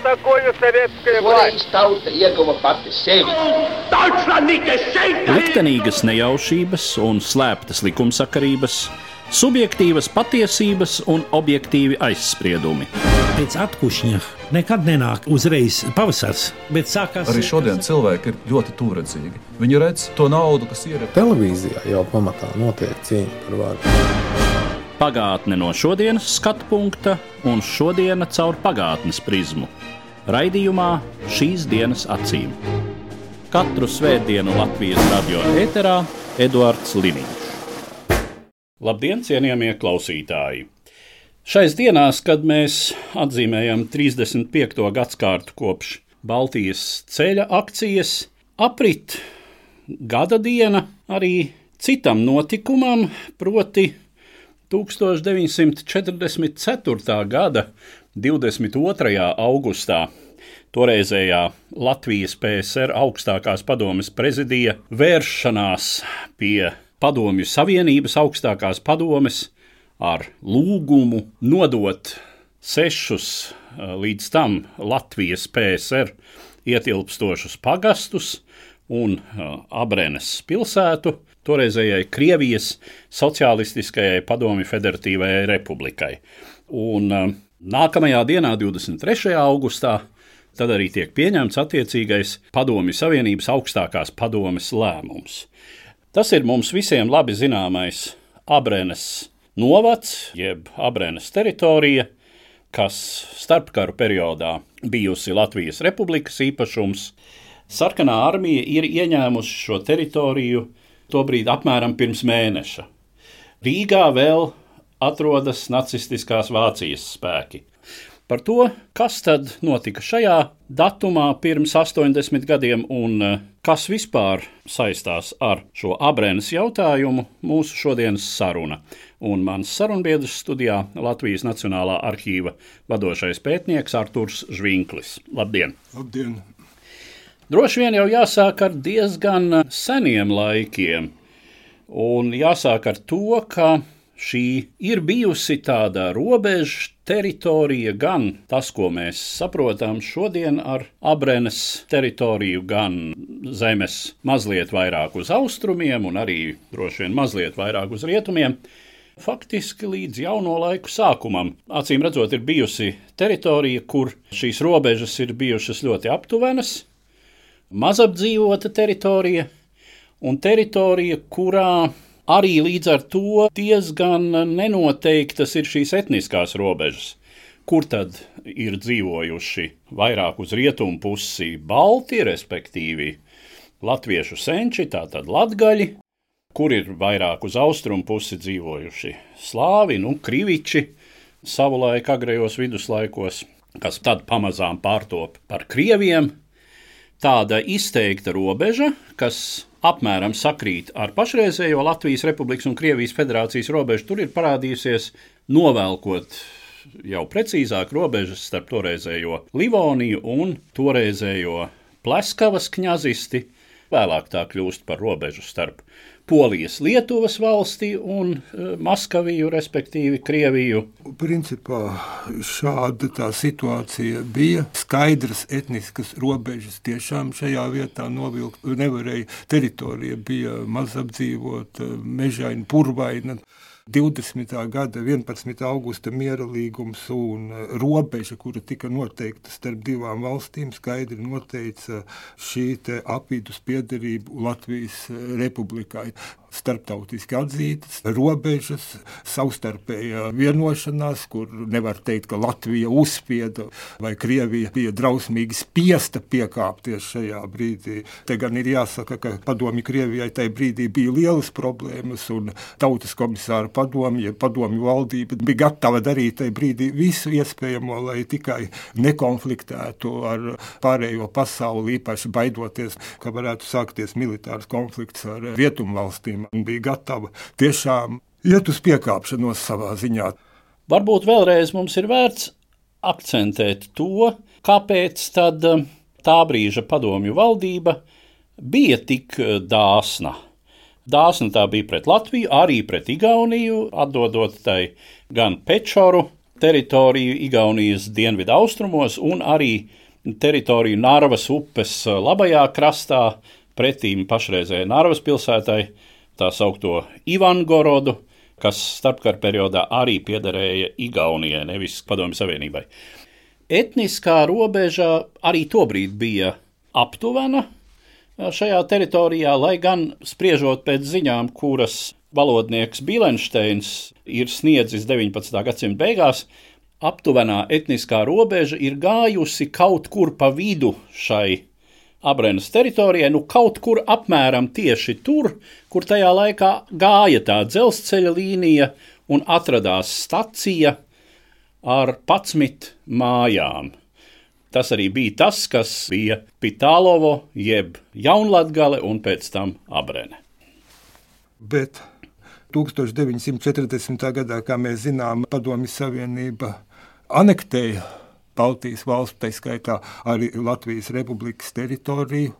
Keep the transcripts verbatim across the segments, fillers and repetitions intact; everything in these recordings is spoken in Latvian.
такое советская власть? Tauta ieguva pati sevi. Liktenīgas nejaušības un slēptas likumsakarības, subjektīvas patiesības un objektīvi aizspriedumi. Pēc atkušņa nekad nenāk uzreiz pavasars, bet sākās... Arī šodien cilvēki ir ļoti tūredzīgi. Viņi redz to naudu, kas ir... Televīzijā jau pamatā notiek cīņa par varu. Pagātne no šodienas skatu punkta un šodiena caur pagātnes prizmu. Raidījumā Šīs dienas acīm. Katru svētdienu Latvijas radio ēterā Eduards Liniņš. Labdien, cienījamie klausītāji! Šais dienās, kad mēs atzīmējam trīsdesmit piekto gadskārtu kopš Baltijas ceļa akcijas, aprit gada diena arī citam notikumam, proti tūkstoš deviņsimt četrdesmit ceturtā gada divdesmit otrajā augustā toreizējā Latvijas P S R augstākās padomes prezidija vēršanās pie Padomju Savienības augstākās padomes ar lūgumu nodot sešus līdz tam Latvijas P S R ietilpstošus pagastus un Abrenes pilsētu toreizējai Krievijas Socialistiskajai Padomju Federatīvajai Republikai. Un nākamajā dienā, divdesmit trešajā augustā, tad arī tiek pieņemts attiecīgais Padomju Savienības augstākās padomes lēmums. Tas ir mums visiem labi zināmais Abrenes novads, jeb Abrenes teritorija, kas starpkaru periodā bijusi Latvijas Republikas īpašums. Sarkanā armija ir ieņēmusi šo teritoriju tobrīd apmēram pirms mēneša. Rīgā vēl atrodas nacistiskās Vācijas spēki. Par to, kas tad notika šajā datumā pirms astoņdesmit gadiem un kas vispār saistās ar šo Abrenes jautājumu, mūsu šodienas saruna. Un mans sarunbiedrs studijā Latvijas Nacionālā arhīva vadošais pētnieks Arturs Žvinklis. Labdien! Labdien! Droši vien jau jāsāk ar diezgan seniem laikiem, un jāsāk ar to, ka šī ir bijusi tāda robeža teritorija, gan tas, ko mēs saprotam šodien ar Abrenes teritoriju, gan zemes mazliet vairāk uz austrumiem un arī droši vien mazliet vairāk uz rietumiem. Faktiski līdz jauno laiku sākumam, acīm redzot, ir bijusi teritorija, kur šīs robežas ir bijušas ļoti aptuvenas, mazapdzīvota teritorija un teritorija, kurā arī līdz ar to diezgan nenoteiktas ir šīs etniskās robežas, kur tad ir dzīvojuši vairāk uz rietumu pusi balti, respektīvi latviešu senči, tātad latgaļi, kur ir vairāk uz austrumu pusi dzīvojuši slāvi, nu, kriviči, savulaik agrējos viduslaikos, kas tad pamazām pārtop par krieviem. Tāda izteikta robeža, kas apmēram sakrīt ar pašreizējo Latvijas Republikas un Krievijas Federācijas robežu, tur ir parādījusies novelkot jau precīzāk robežas starp toreizējo Livoniju un toreizējo Pleskavas kņazisti. Vēlāk tā kļūst par robežu starp Polijas Lietuvas valsti un Maskaviju, respektīvi Krieviju. Principā šāda tā situācija bija. Skaidras etniskas robežas tiešām šajā vietā novilkt nevarēja. Teritorija bija mazapdzīvota, mežaina, purvaina. divdesmitā gada vienpadsmitā augusta miera līgums un robeža, kura tika noteikta starp divām valstīm, skaidri noteica šī te apvidus piederību Latvijas Republikai. Starptautiski atzītas robežas, savstarpējā vienošanās, kur nevar teikt, ka Latvija uzspieda vai Krievija bija drausmīgi spiesta piekāpties šajā brīdī. Te gan ir jāsaka, ka padomju Krievijai tajā brīdī bija lielas problēmas un tautas komisāra padomju, padomju valdība bija gatava darīt tajā brīdī visu iespējamo, lai tikai nekonfliktētu ar pārējo pasauli, īpaši baidoties, ka varētu sākties militārs konflikts ar rietumu valstīm. Un bija gatava tiešām iet uz piekāpšanos savā ziņā. Varbūt vēlreiz mums ir vērts akcentēt to, kāpēc tad tā brīža padomju valdība bija tik dāsna. Dāsna tā bija pret Latviju, arī pret Igauniju, atdodot tai gan Pečoru, teritoriju Igaunijas dienvidu austrumos un arī teritoriju Narvas upes labajā krastā pretīm pašreizējai Narvas pilsētai, tā saukto Ivangorodu, kas starpkara periodā arī piederēja Igaunijai, nevis Padomju Savienībai. Etniskā robeža arī tobrīd bija aptuvena šajā teritorijā, lai gan spriežot pēc ziņām, kuras valodnieks Bīlenšteins ir sniedzis deviņpadsmitā gadsimta beigās, aptuvenā etniskā robeža ir gājusi kaut kur pa vidu šai Abrenes teritorijai, nu kaut kur apmēram tieši tur, kur tajā laikā gāja tā dzelzceļa līnija un atradās stacija ar padsmit mājām. Tas arī bija tas, kas bija Pitālovo, jeb Jaunlatgale un pēc tam Abrene. Bet tūkstoš deviņsimt četrdesmitā gadā, kā mēs zinām, Padomju Savienība anektēja Baltijas valstu, tā skaitā arī Latvijas Republikas teritoriju,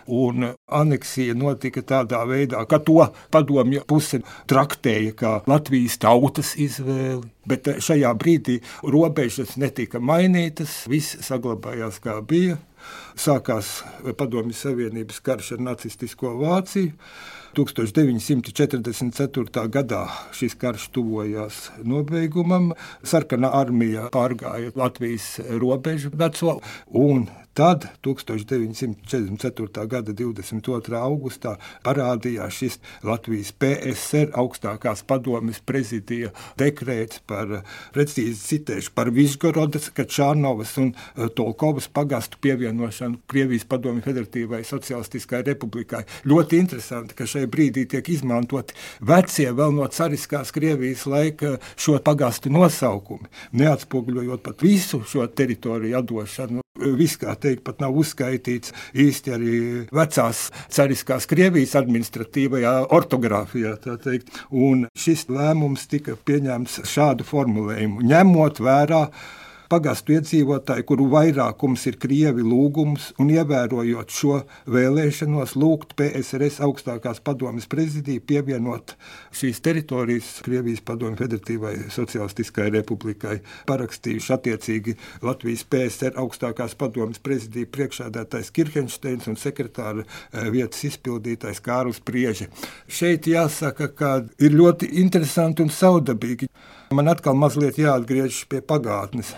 un aneksija notika tādā veidā, ka to padomju puse traktēja kā Latvijas tautas izvēli, bet šajā brīdī robežas netika mainītas, viss saglabājās kā bija. Sākās Padomju Savienības karš ar nacistisko Vāciju. tūkstoš deviņsimt četrdesmit ceturtā gadā šis karš tuvojās nobeigumam. Sarkanā armija pārgāja Latvijas robežu veco, un tad tūkstoš deviņsimt četrdesmit ceturtā gada divdesmit otrā augustā parādījās šis Latvijas P S R augstākās padomes prezidija dekrēts par, precīzi citēšu, par Vižgorodas, Kačārnovas un Tolkovas pagastu pievienošanu Krievijas Padomju Federatīvai Socialistiskai Republikai. Ļoti interesanti, ka šai brīdī tiek izmantoti vecie vēl no cariskās Krievijas laika šo pagastu nosaukumi, neatspoguļojot pat visu šo teritoriju atdošanu. Viss, kā teikt, pat nav uzskaitīts īsti arī vecās cariskās Krievijas administratīvajā ortogrāfijā, tā teikt. Un šis lēmums tika pieņemts šādu formulējumu, ņemot vērā pagastu iedzīvotāji, kuru vairākums ir krievi lūgums, un ievērojot šo vēlēšanos lūgt P S R S augstākās padomes prezidiju pievienot šīs teritorijas Krievijas Padomju Federatīvai Socialistiskai Republikai, parakstījuši attiecīgi Latvijas P S R augstākās padomes prezidiju priekšsēdētājs Kirhenšteins un sekretāra vietas izpildītājs Kārlis Prieže. Šeit jāsaka, ka ir ļoti interesanti un saudabīgi. Man atkal mazliet jāatgriežas pie pagātnes.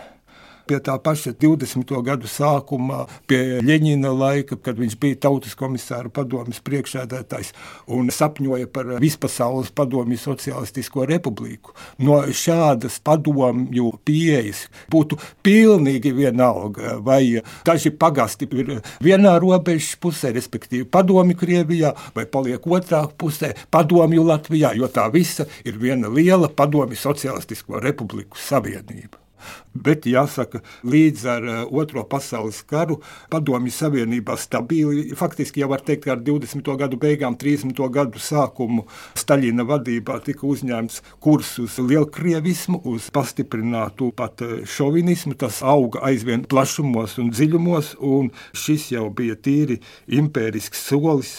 Pie tā paša divdesmito gadu sākumā, pie Ļeņina laika, kad viņš bija Tautas komisāra padomes priekšsēdētājs un sapņoja par vispasaules padomju socialistisko republiku. No šādas padomju pieejas būtu pilnīgi vienalga, vai daži pagasti ir vienā robežas pusē, respektīvi padomju Krievijā, vai paliek otrā pusē padomju Latvijā, jo tā visa ir viena liela padomju socialistisko republiku savienība. Bet jāsaka, līdz ar Otro pasaules karu Padomju Savienībā stabili, faktiski jau var teikt, ka ar divdesmito gadu beigām, trīsdesmito gadu sākumu Staļina vadībā tika uzņēmts kurs uz lielkrievismu, uz pastiprinātu pat šovinismu, tas auga aizvien plašumos un dziļumos, un šis jau bija tīri impērisks solis.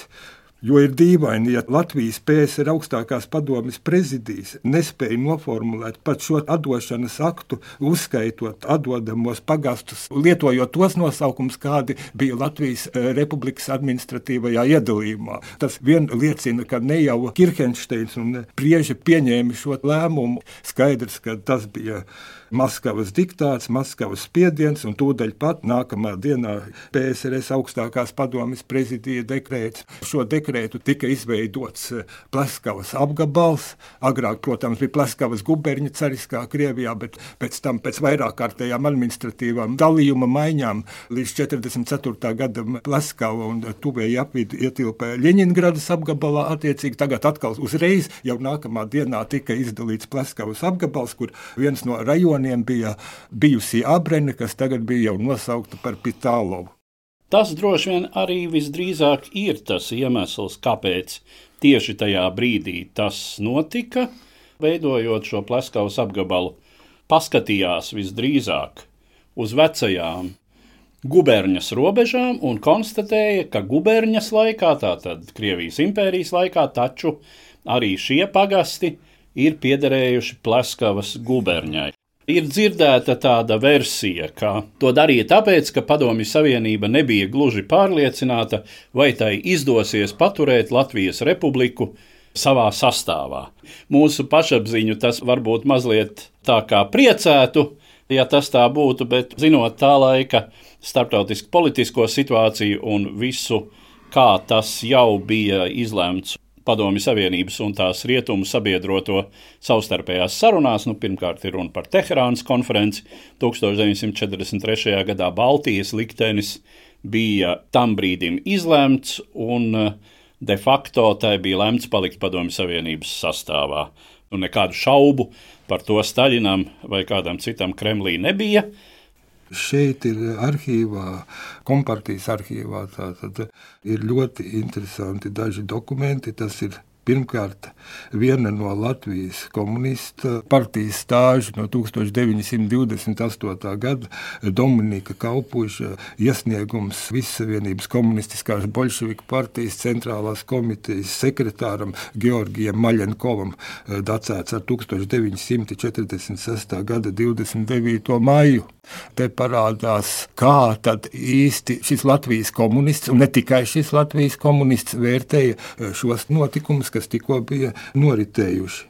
Jo ir dīvaini, ja Latvijas P S R augstākās padomes prezidijas nespēja noformulēt pat šo atdošanas aktu, uzskaitot atdodamos pagastus, lietojot tos nosaukums, kādi bija Latvijas Republikas administratīvajā iedalījumā. Tas vien liecina, ka ne jau Kirhenšteins un Prieže pieņēma šo lēmumu. Skaidrs, ka tas bija Maskavas diktāts, Maskavas spiediens, un tūdaļ pat nākamā dienā P S R S augstākās padomes prezidija dekrēts. Šo dekrētu tika izveidots Pleskavas apgabals. Agrāk, protams, bija Pleskavas guberņa cariskā Krievijā, bet pēc tam pēc vairāk kārtējām administratīvām dalījuma maiņām līdz četrdesmit ceturtā gada Pleskava un tuvēji apvidu ietilpa Ļeņingradas apgabalā. Attiecīgi tagad atkal uzreiz jau nākamā dienā tika izdalīts Pleskavas apgabals, kur viens no rajoniem bija bijusī Abrene, kas tagad bija jau nosaukta par Pitālovu. Tas droši vien arī visdrīzāk ir tas iemesls, kāpēc tieši tajā brīdī tas notika, veidojot šo Pleskavas apgabalu. Paskatījās visdrīzāk uz vecajām guberņas robežām un konstatēja, ka guberņas laikā, tātad Krievijas impērijas laikā, taču arī šie pagasti ir piederējuši Pleskavas guberņai. Ir dzirdēta tāda versija, ka to darīja tāpēc, ka Padomju Savienība nebija gluži pārliecināta, vai tai izdosies paturēt Latvijas republiku savā sastāvā. Mūsu pašapziņu tas varbūt mazliet tā kā priecētu, ja tas tā būtu, bet zinot tā laika starptautisku politisko situāciju un visu, kā tas jau bija izlemts Padomju Savienības un tās rietumu sabiedroto savstarpējās sarunās, nu, pirmkārt ir runa par Teherānas konferenci, tūkstoš deviņsimt četrdesmit trešajā gadā Baltijas liktenis bija tam brīdim izlemts un de facto tai bija lemts palikt Padomju Savienības sastāvā. Un nekādu šaubu par to Staļinam vai kādam citam Kremlī nebija. Šeit ir arhīvā, kompartijas arhīvā, tātad ir ļoti interesanti daži dokumenti. Tas ir pirmkārt viena no Latvijas komunista partijas stāžu no tūkstoš deviņi simti divdesmit astotā gada Dominika Kaupuša iesniegums Vissavienības komunistiskās Boļševiku partijas centrālās komitejas sekretāram Georgijam Maļenkovam, datēts ar tūkstoš deviņi simti četrdesmit sestā gada divdesmit devīto maiju. Te parādās, kā tad īsti šis Latvijas komunists, un ne tikai šis Latvijas komunists, vērtēja šos notikumus, kas tikko bija noritējuši.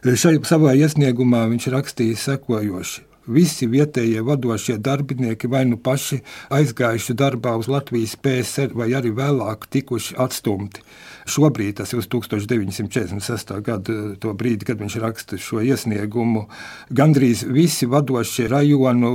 Šajā savā iesniegumā viņš rakstīja sekojoši. Visi vietējie vadošie darbinieki vai nu paši aizgājuši darbā uz Latvijas P S R vai arī vēlāk tikuši atstumti. Šobrīd, tas ir uz tūkstoš deviņi simti četrdesmit sestā gada, to brīdi, kad viņš raksta šo iesniegumu, gandrīz visi vadošie rajonu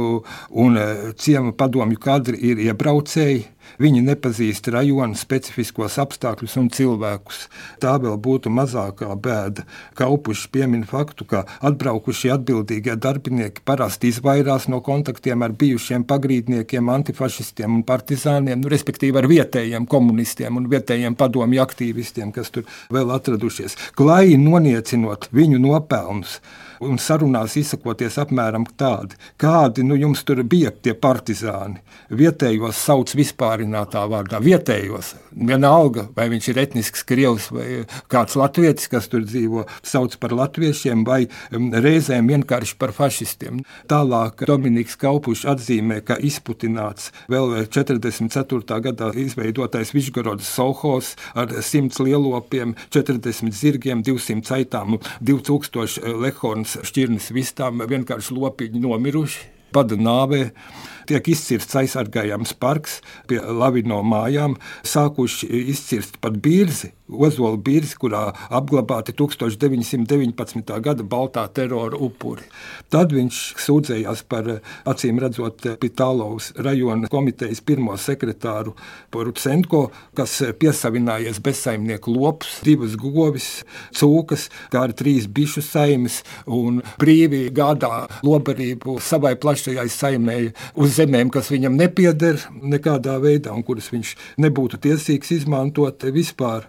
un ciema padomju kadri ir iebraucēji. Viņi nepazīst rajonu specifiskos apstākļus un cilvēkus. Tā vēl būtu mazākā bēda. Kaupušs piemin faktu, ka atbraukušie atbildīgie darbinieki parasti izvairās no kontaktiem ar bijušiem pagrīdniekiem, antifašistiem un partizāniem, nu, respektīvi ar vietējiem komunistiem un vietējiem padomju aktīvistiem, kas tur vēl atradušies. Klai noniecinot viņu nopelnus un sarunās izsakoties apmēram tādi, kādi nu jums tur bija tie partizāni. Vietējos sauc vispārinātā vārdā. Vietējos, vienalga, vai viņš ir etnisks krievs vai kāds latvietis, kas tur dzīvo, sauc par latviešiem vai reizēm vienkārši par fašistiem. Tālāk Dominiks Kaupušs atzīmē, ka izputināts vēl četrdesmit ceturtā gadā izveidotais Višgorodas sovhozs ar simts lielopiem, četrdesmit zirgiem, divsimt aitām, divi tūkstoši lehornas šķirnes vistām, vienkārši lopiņi nomiruši, bada nāvē. Tiek izcirsts aizsargājams parks pie Lavino mājām, sākuši izcirst pat Birzi, Ozola Birzi, kurā apglabāti tūkstoš deviņi simti deviņpadsmitā gada baltā terora upuri. Tad viņš sūdzējās par, acīm redzot, Pitālovas rajona komitejas pirmo sekretāru Porucenko, kas piesavinājies bezsaimnieku lopus, divas govis, cūkas, kā arī trīs bišu saimes un brīvi gādā lobarību savai plašajai saimēji uz zemēm, kas viņam nepieder nekādā veidā un kuras viņš nebūtu tiesīgs izmantot vispār.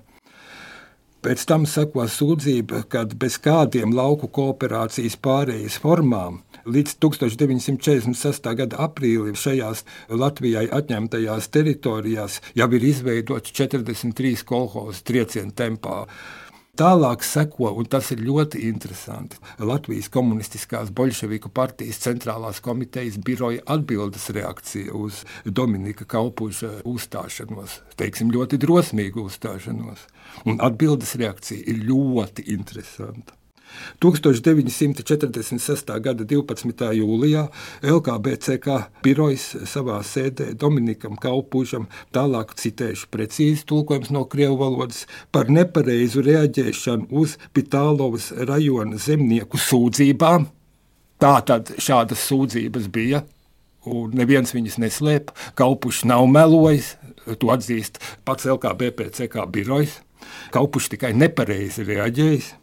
Pēc tam seko sūdzība, kad bez kādiem lauku kooperācijas pārējas formām līdz tūkstoš deviņi simti četrdesmit sestā gada aprīlim šajās Latvijai atņemtajās teritorijās jau ir izveidoti četrdesmit trīs kolhozi triecienu tempā. Tālāk seko, un tas ir ļoti interesanti, Latvijas komunistiskās Boļševiku partijas centrālās komitejas biroja atbildes reakcija uz Dominika Kaupuša uzstāšanos, teiksim, ļoti drosmīgu uzstāšanos. Un atbildes reakcija ir ļoti interesanta. tūkstoš deviņi simti četrdesmit sestā gada divpadsmitā jūlijā L K B C K birojs savā sēdē Dominikam Kaupušam, tālāk citēšu precīzi tulkojums no krievu valodas, par nepareizu reaģēšanu uz Pitālovas rajona zemnieku sūdzībām. Tātad šādas sūdzības bija, un neviens viņas neslēpa. Kaupušs nav melojis, to atzīst pats L K B C K birojs. Kaupušs tikai nepareizi reaģējis.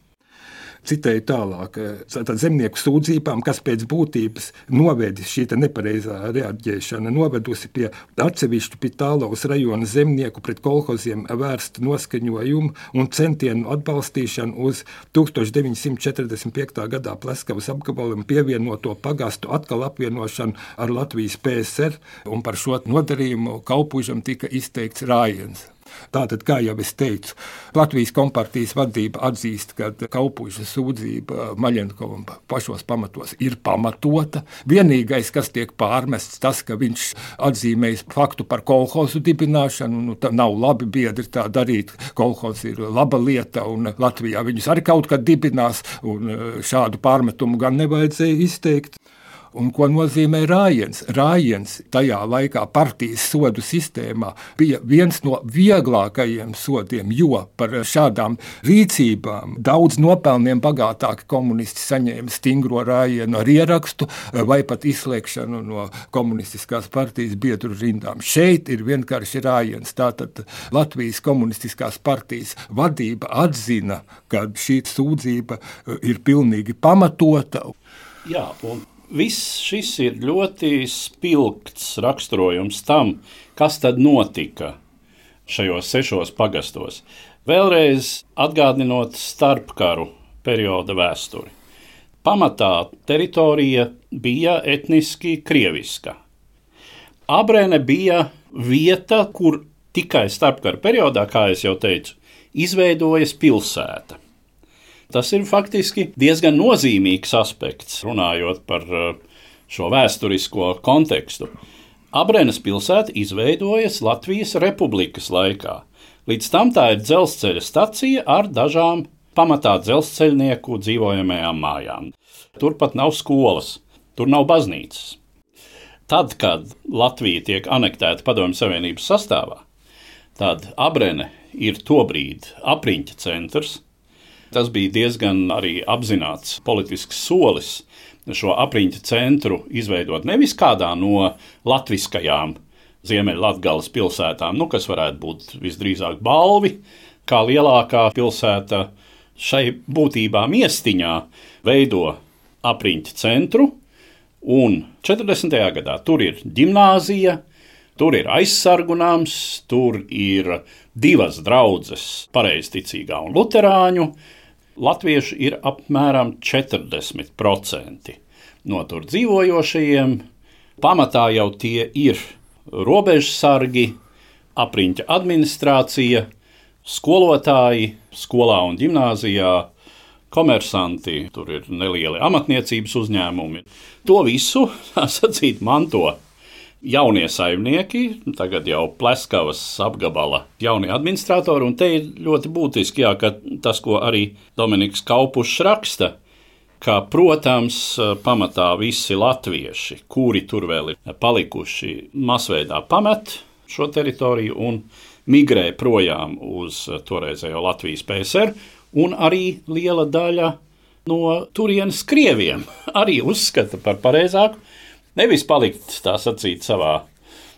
Citēju tālāk, tātad zemnieku sūdzībām, kas pēc būtības novedis šī nepareizā reaģēšana, novedusi pie atsevišķu Pitālovas rajona zemnieku pret kolhoziem vērstu noskaņojumu un centienu atbalstīšanu uz tūkstoš deviņi simti četrdesmit piektā gadā Pleskavas apgabalam pievienoto pagastu atkal apvienošanu ar Latvijas P S R, un par šo nodarījumu Kaupušam tika izteikts rājiens. Tātad, kā jau es teicu, Latvijas kompartijas vadība atzīst, ka Kaupuiša sūdzība Maļenkovam pašos pamatos ir pamatota. Vienīgais, kas tiek pārmests, tas, ka viņš atzīmējis faktu par kolhozu dibināšanu. Nu, tā nav labi biedri tā darīt. Kolhoz ir laba lieta, un Latvijā viņus arī kaut kad dibinās, un šādu pārmetumu gan nevajadzēja izteikt. Un ko nozīmē rājiens? Rājiens tajā laikā partijas sodu sistēmā bija viens no vieglākajiem sodiem, jo par šādām rīcībām daudz nopelniem bagātāki komunisti saņēma stingro rājienu ar ierakstu vai pat izslēgšanu no komunistiskās partijas biedru rindām. Šeit ir vienkārši rājiens. Tātad Latvijas komunistiskās partijas vadība atzina, ka šī sūdzība ir pilnīgi pamatota. Jā, un viss šis ir ļoti spilgts raksturojums tam, kas tad notika šajos sešos pagastos. Vēlreiz atgādinot starpkaru perioda vēsturi. Pamatā teritorija bija etniski krieviska. Abrene bija vieta, kur tikai starpkaru periodā, kā es jau teicu, izveidojas pilsēta. Tas ir faktiski diezgan nozīmīgs aspekts, runājot par šo vēsturisko kontekstu. Abrenes pilsēta izveidojas Latvijas republikas laikā. Līdz tam tā ir dzelzceļa stacija ar dažām pamatā dzelzceļnieku dzīvojamajām mājām. Turpat nav skolas, tur nav baznīcas. Tad, kad Latvija tiek anektēta Padomju Savienības sastāvā, tad Abrene ir tobrīd apriņķa centrs. Tas bija diezgan arī apzināts politisks solis šo apriņķa centru izveidot nevis kādā no latviskajām Ziemeļlatgales pilsētām, nu, kas varētu būt visdrīzāk Balvi, kā lielākā pilsēta šai būtībā miestiņā veido apriņķa centru, un četrdesmitajā gadā tur ir ģimnāzija, tur ir aizsargunāms, tur ir divas draudzes pareizticīgā un luterāņu. Latviešu ir apmēram četrdesmit procenti no tur dzīvojošajiem. Pamatā jau tie ir robežsargi, apriņķa administrācija, skolotāji skolā un ģimnāzijā, komersanti, tur ir nelieli amatniecības uzņēmumi. To visu, tā sacīt, manto jaunie saimnieki, tagad jau Pleskavas apgabala jaunie administratori, un te ir ļoti būtiski, jā, ka tas, ko arī Dominiks Kaupušs raksta, ka, protams, pamatā visi latvieši, kuri tur vēl ir palikuši, masveidā pamet šo teritoriju un migrē projām uz toreizējo Latvijas P S R, un arī liela daļa no turienes krieviem arī uzskata par pareizāku nevis palikt, tā sacīt, savā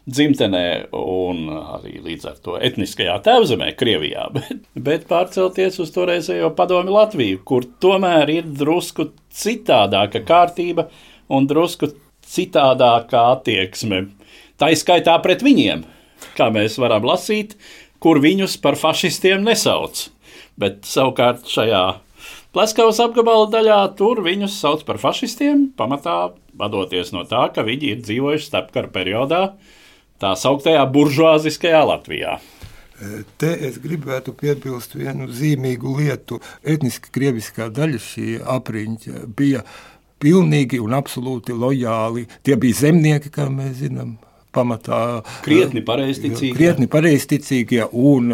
dzimtenē un arī līdz ar to etniskajā tēvzemē Krievijā, bet, bet pārcelties uz toreizējo Padomju Latviju, kur tomēr ir drusku citādāka kārtība un drusku citādākā attieksme. Tā izskaitā pret viņiem, kā mēs varam lasīt, kur viņus par fašistiem nesauc. Bet savukārt šajā Pleskavas apgabala daļā tur viņus sauc par fašistiem, pamatā vadoties no tā, ka viņi ir dzīvojuši starpkara periodā tā sauktajā buržuāziskajā Latvijā. Te es gribētu piebilst vienu zīmīgu lietu. Etniski krieviskā daļa šī apriņķa bija pilnīgi un absolūti lojāli. Tie bija zemnieki, kā mēs zinām. Pamatā krietni pareizticīgi, krietni pareizticīgie un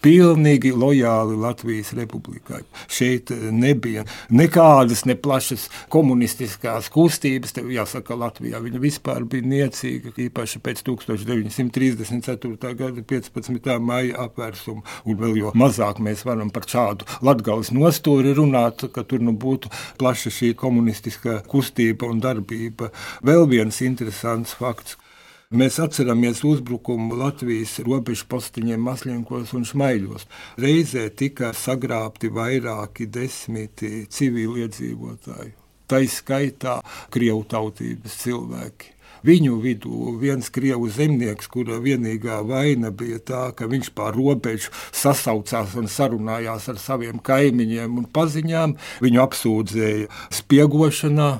pilnīgi lojāli Latvijas republikai. Šeit nebija nekādas ne plašas komunistiskās kustības, te jāsaka Latvijā, viņa vispār bija niecīga, īpaši pēc tūkstoš deviņi simti trīsdesmit ceturtā gada piecpadsmitā maija apvērsuma, un vēl jo mazāk mēs varam par šādu Latgales nostūri runāt, ka tur nu būtu plaša šī komunistiskā kustība un darbība. Vēl viens interesants fakts. Mēs atceramies uzbrukumu Latvijas robežu postiņiem Masļenkos un Šmaiļos. Reizē tika sagrābti vairāki desmiti civiliedzīvotāju. Tai skaitā krievu tautības cilvēki. Viņu vidū viens krievu zemnieks, kura vienīgā vaina bija tā, ka viņš pār robežu sasaucās un sarunājās ar saviem kaimiņiem un paziņām. Viņu apsūdzēja spiegošanā,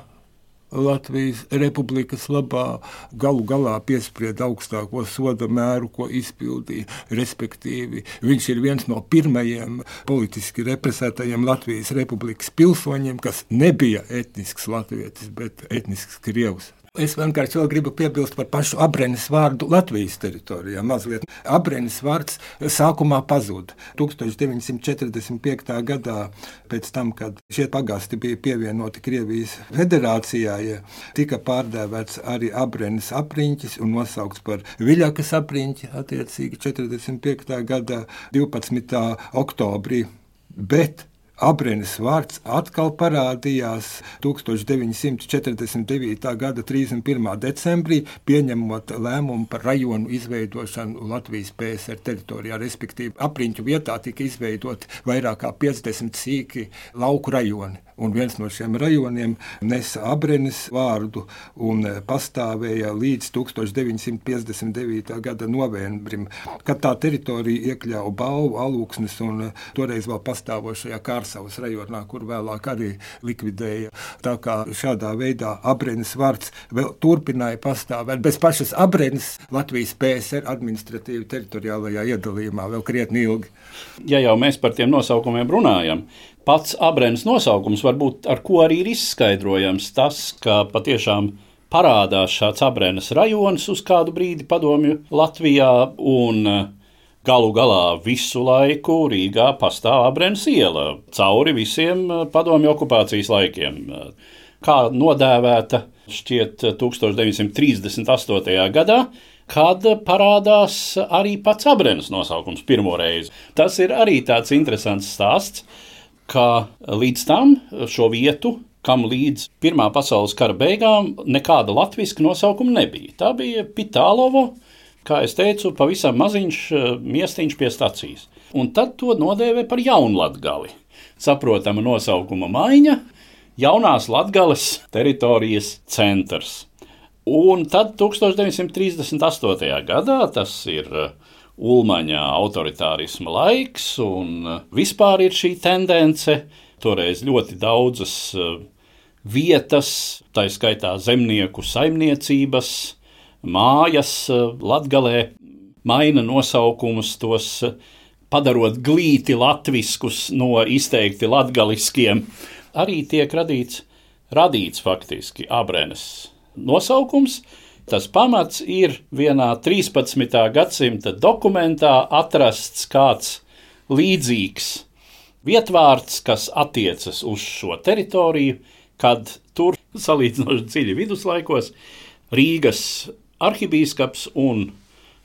Latvijas republikas labā, galu galā piesprieda augstāko soda mēru, ko izpildīja, respektīvi. Viņš ir viens no pirmajiem politiski represētajiem Latvijas republikas pilsoņiem, kas nebija etnisks latvietis, bet etnisks krievs. Es vienkārši vēl gribu piebilst par pašu Abrenes vārdu Latvijas teritorijā. Mazliet. Abrenes vārds sākumā pazuda. tūkstoš deviņi simti četrdesmit piektā gadā, pēc tam, kad šie pagasti bija pievienoti Krievijas federācijai, tika pārdēvēts arī Abrenes apriņķis un nosaukts par Viļakas apriņķi, attiecīgi četrdesmit piektā gadā divpadsmitā oktobrī. Bet Abrenes vārds atkal parādījās tūkstoš deviņi simti četrdesmit devītā gada trīsdesmit pirmā decembrī, pieņemot lēmumu par rajonu izveidošanu Latvijas P S R teritorijā, respektīvi apriņķu vietā tika izveidoti vairāk kā piecdesmit sīki lauku rajoni. Un viens no šiem rajoniem nesa Abrenes vārdu un pastāvēja līdz tūkstoš deviņi simti piecdesmit devītā gada novembrim, kad tā teritorija iekļāva Balvu, Alūksnes un toreiz vēl pastāvošajā Kārsavas rajonā, kur vēlāk arī likvidēja. Tā kā šādā veidā Abrenes vārds vēl turpināja pastāvēt. Bez pašas Abrenes Latvijas P S R administratīvi teritoriālajā iedalījumā vēl krietni ilgi. Ja jau mēs par tiem nosaukumiem runājam, pats Abrenes nosaukums varbūt ar ko arī ir izskaidrojams tas, ka patiešām parādās šāds Abrenes rajons uz kādu brīdi padomju Latvijā un galu galā visu laiku Rīgā pastāv Abrenes iela cauri visiem padomju okupācijas laikiem. Kā nodēvēta šķiet tūkstoš deviņi simti trīsdesmit astotajā gadā, kad parādās arī pats Abrenes nosaukums pirmo reizi. Tas ir arī tāds interesants stāsts, ka līdz tam šo vietu, kam līdz Pirmā pasaules kara beigām nekāda latviska nosaukuma nebija. Tā bija Pitālovo, kā es teicu, pavisam maziņš miestiņš pie stacijas. Un tad to nodēvē par Jaunlatgali. Saprotama nosaukuma maiņa, jaunās Latgales teritorijas centrs. Un tad tūkstoš deviņi simti trīsdesmit astotajā gadā, tas ir Ulmaņa autoritārisma laiks, un vispār ir šī tendence, toreiz ļoti daudzas vietas, tā skaitā zemnieku saimniecības, mājas Latgalē, maina nosaukumus, tos padarot glīti latviskus no izteikti latgaliskiem. Arī tiek radīts, radīts faktiski Abrenes nosaukums. Tas pamats ir vienā trīspadsmitā gadsimta dokumentā atrasts kāds līdzīgs vietvārds, kas attiecas uz šo teritoriju, kad tur salīdzinoši dziļi viduslaikos Rīgas arhibīskaps un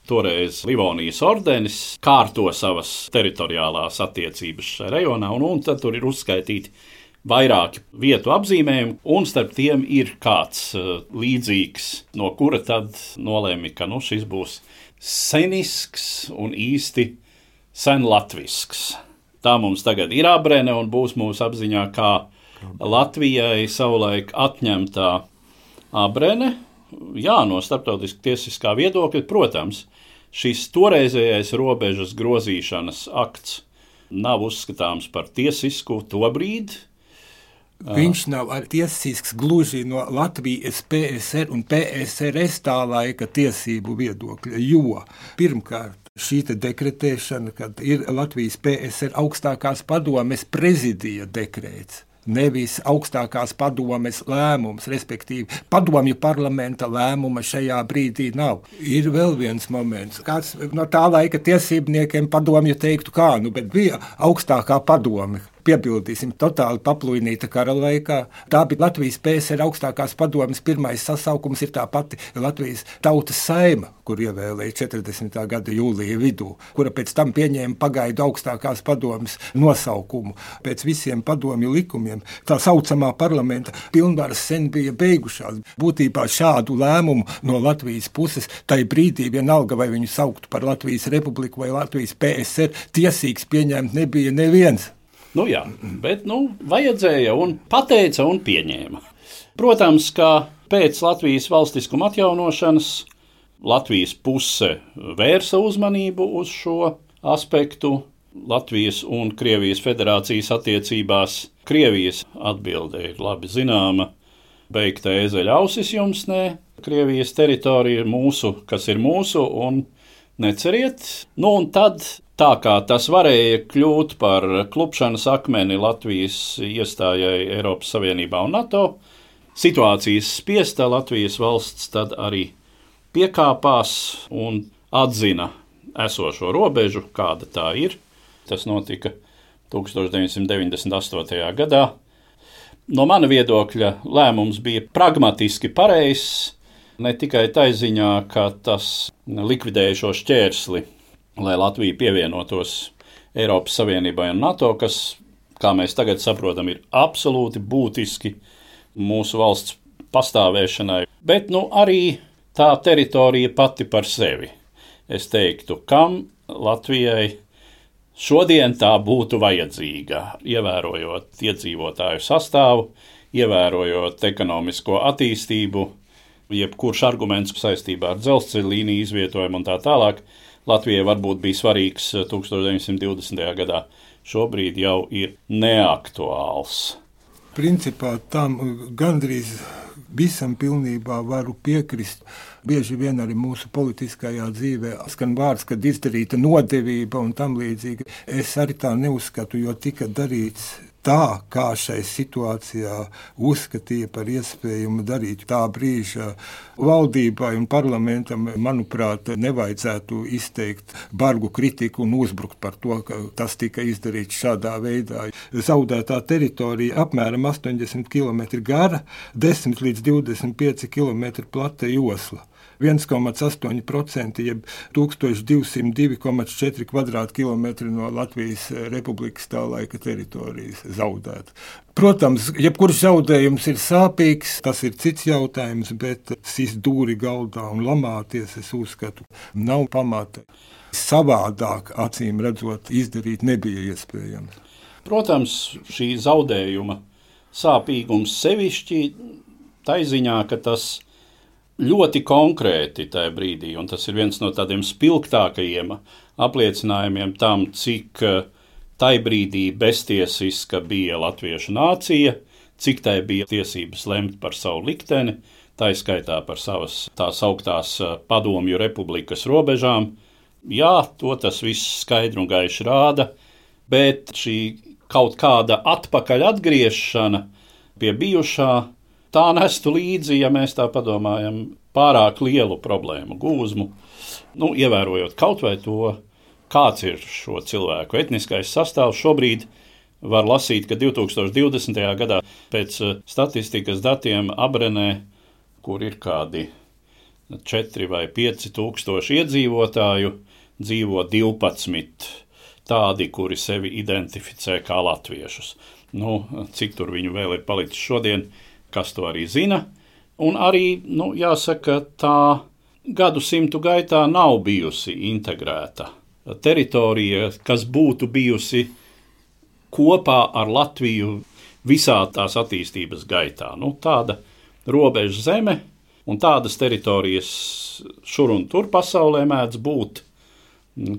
toreiz Livonijas ordenis kārto savas teritoriālās attiecības šajā rajonā, un, un tad tur ir uzskaitīti vairāki vietu apzīmējumi, un starp tiem ir kāds uh, līdzīgs, no kura tad nolēma, ka nu, šis būs senisks un īsti senlatvisks. Tā mums tagad ir Abrene un būs mūsu apziņā kā Latvijai savulaik atņemtā Abrene. Jā, no starptautiski tiesiskā viedokļa, protams, šis toreizējais robežas grozīšanas akts nav uzskatāms par tiesisku to brīdi. Viņš nav arī tiesisks gluži no Latvijas P S R un P S R S tā laika tiesību viedokļa, jo pirmkārt šī dekretēšana, kad ir Latvijas P S R augstākās padomes prezidija dekrēts, nevis augstākās padomes lēmums, respektīvi padomju parlamenta lēmuma šajā brīdī nav. Ir vēl viens moments, kāds no tā laika tiesībniekiem padomju teiktu kā, nu, bet bija augstākā padome. Piebildīsim, totāli paplūinīta kara laikā. Tā bija Latvijas P S R augstākās padomes pirmais sasaukums, ir tā pati Latvijas tautas saima, kur ievēlēja četrdesmitā gada jūlija vidū, kura pēc tam pieņēma pagaidu augstākās padomes nosaukumu. Pēc visiem padomju likumiem tā saucamā parlamenta pilnvaras sen bija beigušās. Būtībā šādu lēmumu no Latvijas puses tai brīdī vienalga, vai viņu sauktu par Latvijas republiku vai Latvijas P S R, tiesīgs pieņemt nebija neviens. Nu jā, bet nu, vajadzēja un pateica un pieņēma. Protams, ka pēc Latvijas valstiskuma atjaunošanas Latvijas puse vērsa uzmanību uz šo aspektu Latvijas un Krievijas federācijas attiecībās. Krievijas atbilde ir labi zināma. beigta ēzeļa ausis jums nē, Krievijas teritorija ir mūsu, kas ir mūsu, un neceriet. Nu, un tad, tā kā tas varēja kļūt par klupšanas akmeni Latvijas iestājai Eiropas Savienībā un NATO, situācijas spiesta Latvijas valsts tad arī piekāpās un atzina esošo robežu, kāda tā ir. Tas notika tūkstoš deviņsimt deviņdesmit astotajā gadā. No mana viedokļa lēmums bija pragmatiski pareizs, ne tikai tai ziņā, ka tas likvidēja šo šķērsli, lai Latvija pievienotos Eiropas Savienībai un NATO, kas, kā mēs tagad saprotam, ir absolūti būtiski mūsu valsts pastāvēšanai, bet nu, arī tā teritorija pati par sevi. Es teiktu, kam Latvijai šodien tā būtu vajadzīga, ievērojot iedzīvotāju sastāvu, ievērojot ekonomisko attīstību, jebkurš arguments saistībā ar dzelzceļa līniju izvietojumu un tā tālāk, Latvijai varbūt bija svarīgs tūkstoš deviņsimt divdesmitajā gadā. Šobrīd jau ir neaktuāls. Principā tam gandrīz visam pilnībā varu piekrist. Bieži vien arī mūsu politiskajā dzīvē skan vārds, kad izdarīta nodevība un tam līdzīgi. Es arī tā neuzskatu, jo tika darīts tā, kā šai situācijā uzskatīja par iespējumu darīt. Tā brīža valdībai un parlamentam, manuprāt, nevajadzētu izteikt bargu kritiku un uzbrukt par to, ka tas tika izdarīts šādā veidā. Zaudētā teritorija apmēram astoņdesmit kilometri gara, desmit līdz divdesmit pieci kilometri plata josla. viens komats astoņi procenti, jeb tūkstoš divsimt divi komats četri kvadrātkilometri no Latvijas Republikas tā laika teritorijas zaudēt. Protams, jebkurš zaudējums ir sāpīgs, tas ir cits jautājums, bet sist dūri galdā un lamāties, es uzskatu, nav pamata. Savādāk, acīm redzot, izdarīt nebija iespējams. Protams, šī zaudējuma sāpīgums sevišķi tai ziņā, ka tas ļoti konkrēti tajā brīdī, un tas ir viens no tādiem spilgtākajiem apliecinājumiem tam, cik tai brīdī beztiesiska bija latviešu nācija, cik tai bija tiesības lemt par savu likteni, tā skaitā par savas tās augtās padomju republikas robežām. Jā, to tas viss skaidri un gaiši rāda, bet šī kaut kāda atpakaļ atgriešana pie bijušā, tā nestu līdzi, ja mēs tā padomājam, pārāk lielu problēmu gūzmu, nu, ievērojot kaut vai to, kāds ir šo cilvēku etniskais sastāvs. Šobrīd var lasīt, ka divtūkstoš divdesmitajā gadā pēc statistikas datiem Abrenē, kur ir kādi četri vai pieci tūkstoši iedzīvotāju, dzīvo divpadsmit tādi, kuri sevi identificē kā latviešus. Nu, cik tur viņu vēl ir palicis šodien, kas to arī zina, un arī, nu, jāsaka, tā gadsimtu gaitā nav bijusi integrēta teritorija, kas būtu bijusi kopā ar Latviju visā tās attīstības gaitā. Nu, tāda robeža zeme un tādas teritorijas šur un tur pasaulē mēdz būt,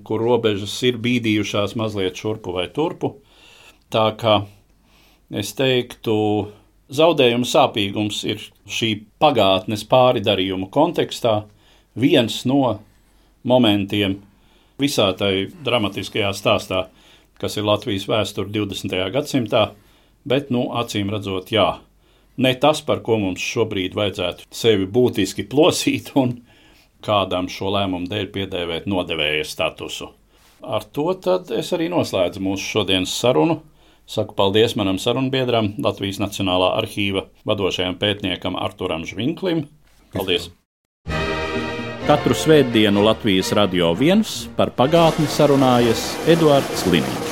kur robežas ir bīdījušās mazliet šurpu vai turpu. Tā kā es teiktu, zaudējuma sāpīgums ir šī pagātnes pāridarījuma kontekstā viens no momentiem visā tai dramatiskajā stāstā, kas ir Latvijas vēsture divdesmitajā gadsimtā, bet, nu, acīm redzot, jā, ne tas, par ko mums šobrīd vajadzētu sevi būtiski plosīt un kādam šo lēmumu dēļ piedēvēt nodevēja statusu. Ar to tad es arī noslēdzu mūsu šodienas sarunu. Saku paldies manam sarunbiedram, Latvijas Nacionālā arhīva vadošajam pētniekam Arturam Žvinklim. Paldies! Katru svētdienu Latvijas Radio viens par pagātni sarunājas Eduards Liniņš.